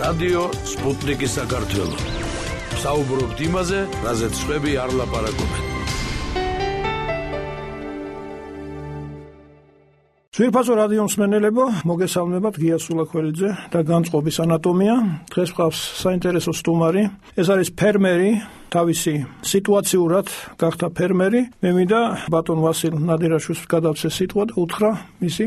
რადიო სპუტნიკი საქართველო. საუბრობთ იმაზე, რაზეც სხვები არ ლაპარაკობენ. ძვირფასო რადიო მსმენელებო, მოგესალმებათ, გია სულაქველიძე და განწყობის ანატომია. დღეს გვყავს საინტერესო სტუმარი. ეს არის ფერმერი, თავისი სიტუაციურად გახდა ფერმერი. მე მინდა ბატონ ვასილ ნადირაშვილს გადავცე სიტყვა და უთხრა მისი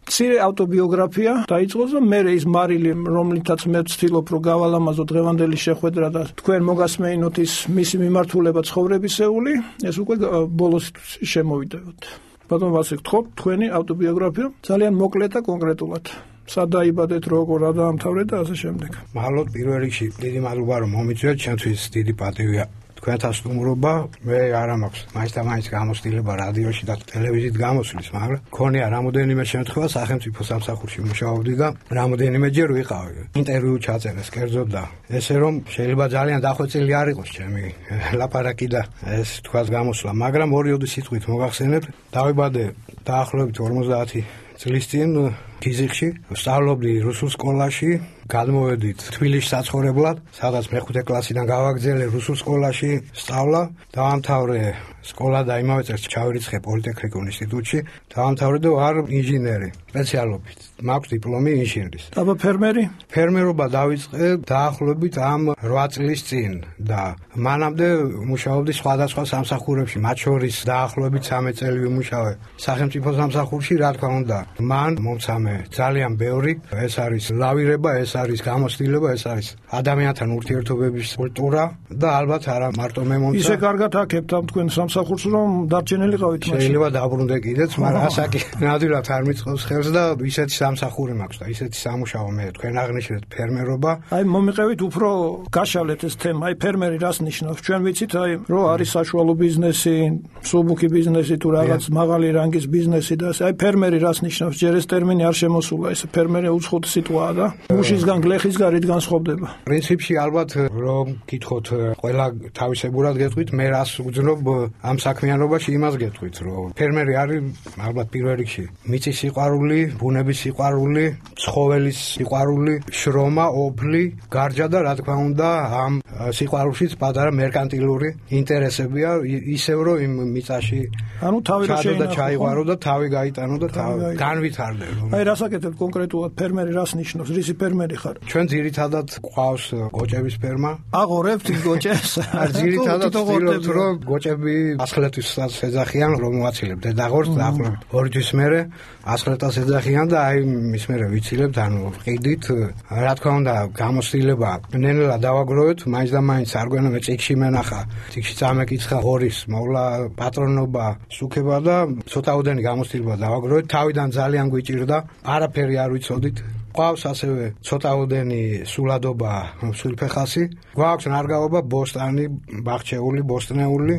მცირე ავტობიოგრაფია დაიწყოს და მე ის მარილი, რომლითაც მე ვცდილობ რომ გავალამაზო დღევანდელი შეხვედრა და თქვენ მოგასმეინოთ ის მისი მიმართულება ცხოვრებისეული, ეს უკვე ბოლოს შემოვიდეოთ. ბატონ ვასილ, გთხოვთ თქვენი ავტობიოგრაფია ძალიან მოკლე და კონკრეტულად. სად დაიბადეთ, როგორ რა დაამთავრეთ და ასე შემდეგ. მადლობ პირველ რიგში დიდი მადლობა რომ მომიწვიეთ, ჩემთვის დიდი პატივია თქვენთან სტუმრობა. მე არ მაქვს მაინც გამოცდილება რადიოში და ტელევიზიით გამოსვლის, მაგრამ მქონია რამოდენიმე შემთხვევა სახელმწიფო სამსახურში მუშაობდი და რამოდენიმეჯერ ვიყავი. ინტერვიუ ჩაწერეს კერძოდ და ესე რომ შეიძლება ძალიან დახვეწილი არ იყოს ჩემი ლაპარაკი და ეს თქვას გამოსვლა, მაგრამ ორი სიტყვით მოგახსენებთ. დავიბადე დაახლოებით 50 წლის წინ გიზიხში, ვსწავლობდი რუსულ სკოლაში, გადმოვედით თბილისში საცხოვრებლად, სადაც მე-5 კლასიდან გავაგრძელე რუსულ სკოლაში სწავლა, დავამთავრე სკოლა და იმავე წელს ჩავირიცხე პოლიტექნიკურ ინსტიტუტში, დავამთავრე და ვარ ინჟინერი სპეციალობით. მაქვს დიპლომი ინჟინრის. დაბა ფერმერი? ფერმერობა დავიწყე დაახლოებით ამ 8 წლის წინ და მანამდე მუშაობდი სხვადასხვა სამსახურებში, მათ შორის დაახლოებით 13 წელი ვიმუშავე სახელმწიფო სამსახურში, რა თქმა უნდა. მან მომცამე ძალიან ბევრი, ეს არის ლავირება, ეს არის გამოცდილება, ეს არის ადამიანთან ურთიერთობების კულტურა და ალბათ არა მარტო მე მომცა. ისე კარგად აქებთ ამ თქვენ სამსახურს, რომ დარჩენილიყავით მაშინ. შეიძლება დაბრუნდე კიდეც, მაგრამ ასაკი ნამდვილად არ მიწყობს ხელს და ისეთი სამსახური მაქვს და ისეთი სამუშაო მე თქვენ აღნიშნეთ ფერმერობა. აი მომიყევით უფრო გაშალეთ ეს თემა, აი ფერმერი რას ნიშნავს? ჩვენ ვიცით, აი რომ არის საშუალო ბიზნესი, მსუბუქი ბიზნესი თუ რაღაც მაღალი რანგის ბიზნესი და აი ფერმერი რას ნიშნავს? ჯერ ეს ტერმინი არ შემოსულა, ეს ფერმერი უცხოური სიტყვაა და მუშისგან გლეხისგან რით განსხვავდება? პრინციპში ალბათ რომ გითხოთ ყველა თავისებურად გეტყვით, მე რას ვგრძნობ ამ საქმიანობაში, იმას გეტყვით, რომ ფერმერი არის ალბათ პირველ რიგში მიწის სიყვარული, ბუნების სიყვარული, ცხოველის სიყვარული, შრომა, ოფლი, გარჯა და რა თქმა უნდა ამ სიყვარულშიც პატარა მერკანტილური ინტერესებია, ისევ რომ იმ მიწაში ანუ თავი რა შეინახო და ჩაიღვარო და თავი გაიტანო და განვითარდე. აი რასაკეთებ კონკრეტულად ფერმერი რას ნიშნავს? რისი ფერმერი ხარ? ჩვენ ძირითადად გვყავს გოჭების ფერმა. აღორებთ გოჭებს? არ ძირითადად ვცდილობთ რომ გოჭები ასხლეთვისაც ეძახიან, რომ მოვაცილებთ დაღორს დაახლოებით 2 თვის მერე ასხლეთას ეძახიან და აი მის მერე ვიცილებთ, ანუ ყიდით, რა თქმა უნდა გამოცდილება ნელ-ნელა დავაგროვეთ, მაინც და მაინც არ გვენახა წიგში მენახა, წიგში წამეკითხა ღორის მოვლა პატრონობა, სუქება და ცოტაოდენი გამოცდილება დავაგროვეთ, თავიდან ძალიან გვიჭირდა, არაფერი არ ვიცოდით. გვაქვს ასევე ცოტაოდენი სულადობა, სულფეხასი, გვაქვს ნარგავობა ბოსტანი, ბახჩეული, ბოსტნეული,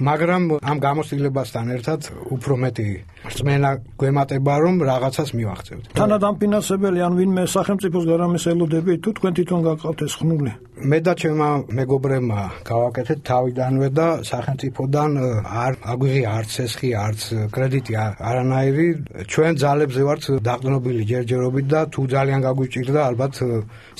მაგრამ ამ გამოცდილებასთან ერთად უფრო მეტი რწმენა გვემატება, რომ რაღაცას მივახცევთ. თანადამფინანსებელი ან ვინმე სახელმწიფოს გარამის ელოდები თუ თქვენ თვითონ გაგყავთ ეს ხნული? მე და ჩემმა მეგობრებმა გავაკეთეთ თავიდანვე და სახელმწიფოდან არ აგვიღია არც ესხი, არც კრედიტი არანაირი. ჩვენ ძალებზე ვართ დაყრდნობილი ჯერჯერობით და თუ ძალიან გაგვიჭირდა, ალბათ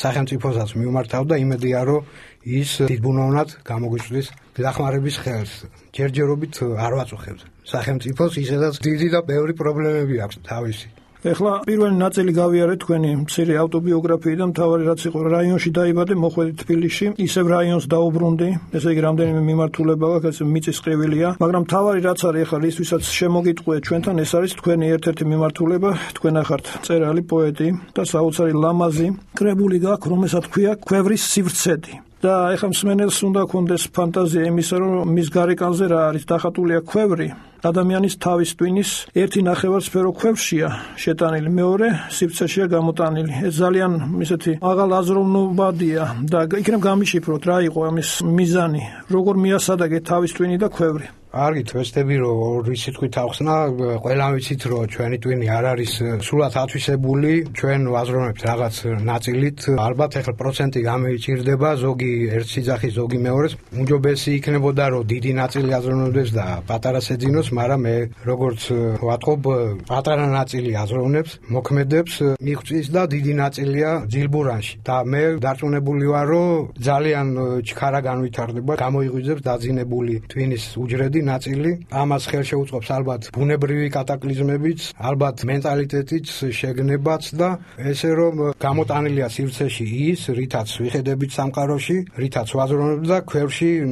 სახელმწიფოსაც მივმართავ და იმედია, რომ ის დიდბუნოვნად გამოგვიწვდის დახმარების ხელს. ჯერჯერობით არ ვაწუხებთ სახელმწიფოს, ისედაც დიდი და ბევრი პრობლემები აქვს თავისი. ეხლა პირველი ნაწილი გავიარეთ თქვენი მცირე ავტობიოგრაფიიდან, მთავარი რაც იყო რაიონში დაიბადე, მოხვედით თბილისში, ისევ რაიონს დაუბრუნდი, ესე იგი რამდენიმე მიმართულება აქვს, მიწის ყივილია, მაგრამ მთავარი რაც არის ეხლა ისვისაც შემოგიტყვიეთ ჩვენთან, ეს არის თქვენი ერთ-ერთი მიმართულება, თქვენ ახართ მწერალი, პოეტი და საოცარი ლამაზი კრებული გაქვთ, რომელსაც ქვია ქვევრის სივრცედი. და ეხლა მსმენელს უნდა ქონდეს ფანტაზია იმისა, რომ მის გარეკანზე რა არის დახატულია ქვევრი, ადამიანის თავის ტვინის ერთი ნახევარსფერო ქვევრშია შეტანილი, მეორე სივრცეშია გამოტანილი. ეს ძალიან ისეთი მაღალ აზროვნებადია და იქნებ გამიშიფროთ რა იყო ამის მიზანი, როგორ მიასადაგეთ თავის ტვინი და ქვევრი. კარგი, ვესტები რომ ორი სიტყვით ახსნა, ყველამ ვიცით რომ ჩვენი ტვინი არ არის სულად ათვისებული, ჩვენ ვაზროვნებთ რაღაც ნაწილით, ალბათ ახლა პროცენტი გამიჭირდება, ზოგი ერთ სიძახის, ზოგი მეორეს, უმჯობესი იქნებოდა რომ დიდი ნაწილი აზროვნებდეს და პატარას ეძინოს, მაგრამ მე როგორც ვატყობ, პატარა ნაწილი აზროვნებს, მოქმედებს, მიღწვის და დიდი ნაწილია ძილბურანში და მე დარწმუნებული ვარ რომ ძალიან ჩქარა განვითარდება, გამოიღვიძებს დაძინებული ტვინის უჯრედი ნაწილი, ამას ხელშეუწყობს ალბათ ბუნებრივი კატაკლიზმებიც, ალბათ მენტალიტეტიც, შეგნებაც და ესე რომ გამოტანილია სივრცეში ის, რითაც ვიხედებით სამყაროში, რითაც ვაზროვნებთ და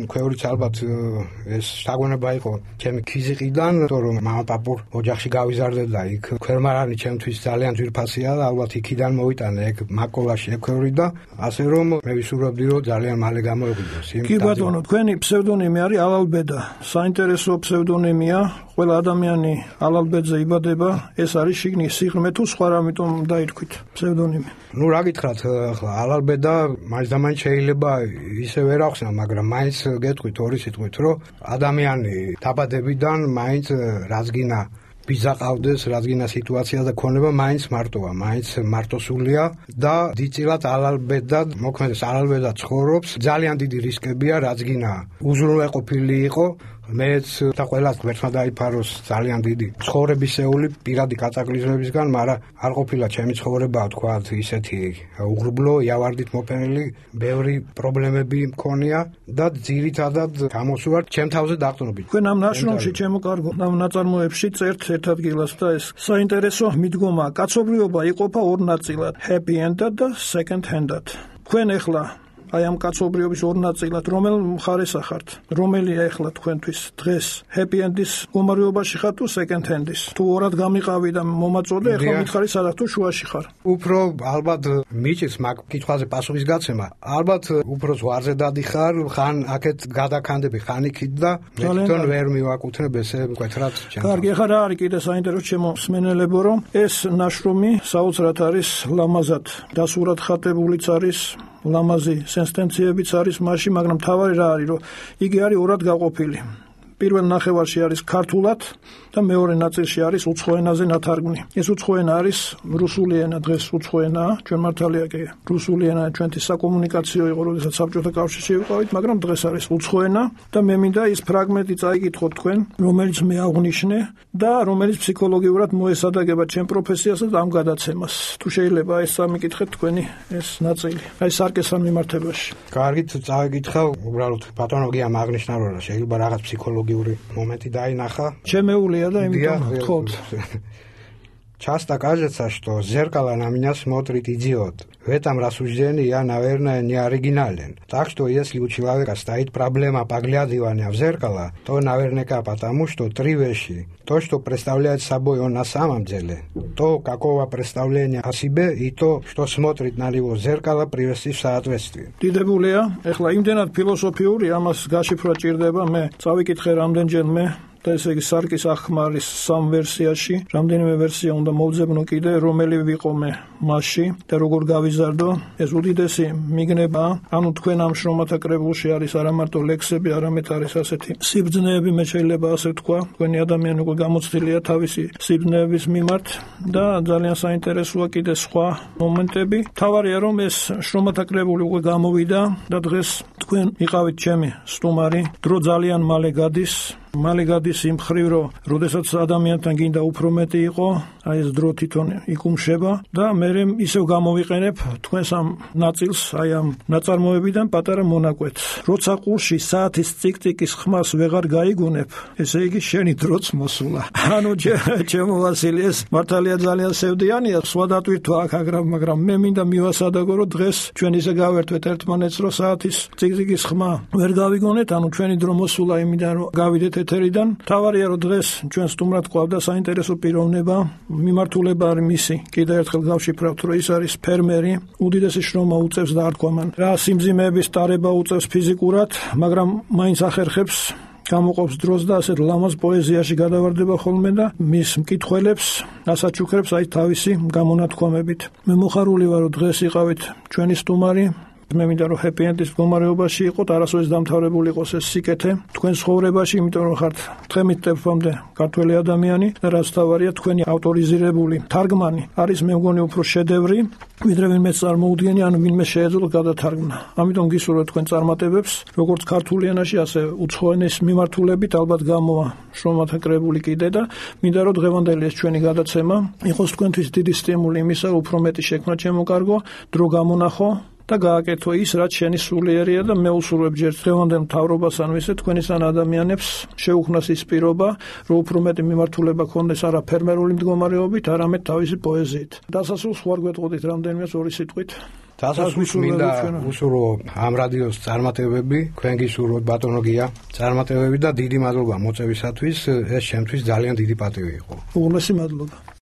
ქვევრიც ალბათ ეს შთაგონება იყო ჩემი ქიზიყიდან, რომ მამაპაპურ ოჯახში გავიზარდე და იქ ქვერმარანი ჩემთვის ძალიან ძვირფასია და ალბათ იქიდან მოვიტანე ეგ მაკოლაში ექვევრი და ასე რომ მე ვისურვებდი რომ ძალიან მალე გამოეღვიძოს იმ. კი ბატონო, თქვენი ფსევდონიმი არის ალალბედა. საინტერესო ფსევდონიმია, ყველა ადამიანი ალალბედზე იბადება, ეს არის შიგნის სიღრმე თუ სხვა რამიტომ დაირქვით ფსევდონიმი. ნუ რა გითხრათ, ახლა ალალბედა მაინც შეიძლება ისე ვერ ახსნა, მაგრამ მაინც გეტყვით ორი სიტყვით, რომ ადამიანი დაბადებიდან მაინც რაზგინა ბიძა ყავდეს, რაზგინა სიტუაცია და ქონება მაინც მარტოა, მაინც მარტოსულია და დიდწილად ალალბედად მოქმედებს, ალალბედად ცხოვრობს, ძალიან დიდი რისკებია, რაზგინა უზრუნველყოფილი იყო, მეც და ყველას ღმერთმა დაიფაროს ძალიან დიდი ცხოვრებისეული პირადი კატაკლიზმებისგან, მაგრამ არ ყოფილა ჩემი ცხოვრება, თქვა ისეთი უღრუბლო, იავარდით მოფენილი, ბევრი პრობლემები მქონია და ძირითადად გამოსვარ ჩემ თავზე დაყრდნობით. თქვენ ამ ნაშრომში, ჩემო კარგო, ამ ნაწარმოებში წერთ ერთ ადგილას და ეს საინტერესო მიდგომაა, კაცობრიობა იყოფა ორ ნაწილად, happy end-ად და second hand-ად. თქვენ ახლა აი ამ კაცობრიობის ორ ნაწილად რომელ მხარეს ახართ? რომელია ახლა თქვენთვის დღეს happy end-ის მდგომარეობაში ხარ თუ second hand-ის? თუ ორად გამიყავი და მომაწოდე, ახლა მითხარი სადაც თუ შუაში ხარ? უფრო ალბათ მიჭირს მაგ კითხვაზე პასუხის გაცემა. ალბათ უფრო ზღვარზე დადიხარ, ხან აქეთ გადაქანდები, ხან იქით და თვითონ ვერ მივაკუთვნებ ესე მკვეთრად ჩემს. კარგი, ახლა რა არის კიდე საინტერესო ჩემო მსმენელებო, რომ ეს ნაშრომი საოცრად არის ლამაზად დასურათ ხატებულიც არის, ლამაზი სენსტენციებიც არის მასში, მაგრამ თავარი რა არის, რომ იგი არის ორად გაყოფილი. პირველ ნახევარში არის ქართულად და მეორე ნაწილში არის უცხო ენაზე ნათარგმნი. ეს უცხო ენა არის რუსული ენა, დღეს უცხო ენაა, ჩვენ მართალია კი რუსული ენა ჩვენთვის საკომუნიკაციო იყო, როდესაც საბჭოთა კავშირში ვიყავით, მაგრამ დღეს არის უცხო ენა და მე მინდა ის ფრაგმენტი წაიკითხოთ თქვენ, რომელიც მე აღნიშნე და რომელიც ფსიქოლოგიურად მოესადაგება ჩემ პროფესიასა და ამ გადაცემას. თუ შეიძლება ეს წამიკითხეთ თქვენი ეს ნაწილი, აი სარკესთან მიმართებაში. კარგით, წავიკითხავ, უბრალოდ ბატონო გიამ აღნიშნა, რომ შეიძლება რაღაც ფსიქოლოგიური моменты დაინახა. Ჩემეულია да, იმიტომ вход. Часто кажется, что зеркало на меня смотрит идиот. В этом рассуждении я, наверное, не оригинален. Так что если у человека стоит проблема поглядывания в зеркало, то наверняка потому, что три вещи. То, что представляет собой он на самом деле, то, какого представления о себе, и то, что смотрит на него в зеркало, привести в соответствие. დიდებულია, ეხლა იმდენად ფილოსოფიური, ამას გაშიფრვა ჭირდება, მე წავიკითხე რამდენჯერმე და ესე იგი სარკის ახმარის სამ ვერსიაში, რამდენიმე ვერსია უნდა მოვძებნო კიდე, რომელი ვიყო მე მასში და როგორ გავიზარდო, ეს უდიდესი მიგნება, ანუ თქვენ ამ შრომათა კრებულში არის არა მარტო ლექსები, არამედ არის ასეთი სიბრძნეები, მე შეიძლება ასე ვთქვა, თქვენი ადამიანი უკვე გამოცდილია თავისი სიბრძნეების მიმართ და ძალიან საინტერესოა კიდე სხვა მომენტები. თავარია რომ ეს შრომათა კრებული უკვე გამოვიდა და დღეს თქვენ იყავით ჩემი სტუმარი, დრო ძალიან მალე გადის. მალე გადის იმ ხრივ, რომ როდესაც ადამიანთან გინდა უფრო მეტი იყო, აი ეს დრო თვითონ იკუმშება და მე ისევ გამოვიყენებ თქვენს ამ ნაწილს, აი ამ ნაწარმოებიდან პატარა მონაკვეთს. როცა ყურში საათის ციკ-ციკის ხმას ვეღარ გაიგონებ, ესე იგი შენი დროც მოსულა. ანუ ჩემო ვასილი, ეს მართალია ძალიან სევდიანია, სხვა დატვირთვა აქ, მაგრამ მე მინდა მივასადაგო, რომ დღეს ჩვენ ისე გავერთვეთ ერთმანეთს, რომ საათის ციკ-ციკის ხმა ვერ გავიგონეთ, ანუ ჩვენი დრო მოსულა იმიდან, რომ გავიდეთ ეთერიდან. თავარია რომ დღეს ჩვენ სტუმრად ყავდა საინტერესო პიროვნება, მიმართულება არის მისი. კიდევ ერთხელ გავშიფრავთ, რომ ის არის ფერმერი, უდიდესი შრომა უწევს და არ თქვა მან რა სიმძიმეების ტარება უწევს ფიზიკურად, მაგრამ მაინც ახერხებს გამოყოფს დროს და ასეთ ლამაზ პოეზიაში გადავარდება ხოლმე და მის მკითხველებს ასაჩუქრებს აი თავისი გამონათქვამებით. მე მოხარული ვარ, რომ დღეს იყავით ჩვენი სტუმარი. მე მინდა რომ happy end-ის მდგომარეობაში იყოთ, არასოდეს დამთავრებული იყოს ეს სიკეთე თქვენ ცხოვრებაში, იმიტომ რომ ხართ თხემით ტეფამდე ქართველი ადამიანი და რაც თავარია თქვენი ავტორიზირებული თარგმანი არის მე მგონი უფრო შედევრი, ვიდრე ვინმე წარმოუდგენი ან ვინმე შეეძლო გადათარგმნა. ამიტომ გისურვებთ თქვენ წარმატებებს, როგორც ქართული ენაში, ასე უცხო ენის მიმართულებით ალბათ გამოვა შრომათა კრებული კიდე და მინდა რომ დღევანდელი ეს ჩვენი გადაცემა იყოს თქვენთვის დიდი სტიმული იმისა, რომ უფრო მეტი შექმნა შემოკარგო, დრო გამონახო და გააკეთო ის, რაც შენი სულიერია და მე უსურვებ ჯერ დღევანდელ მთავრობას ან ვისე თქვენისგან ადამიანებს შეუქმნას ის პირობა, რომ უფრო მეტი მიმართულება ქონდეს არა ფერმერული მდგომარეობით, არამედ თავისი პოეზიით. დასასრულს ხوار გვეტყოდით რამდენიმეც ორი სიტყვით. დასასრულს მინდა უსურვო ამ რადიოს წარმატებები, თქვენ გისურვოთ ბატონო გია, წარმატებები და დიდი მადლობა მოწვევისათვის, ეს ჩემთვის ძალიან დიდი პატივი იყო. უღრმესი მადლობა.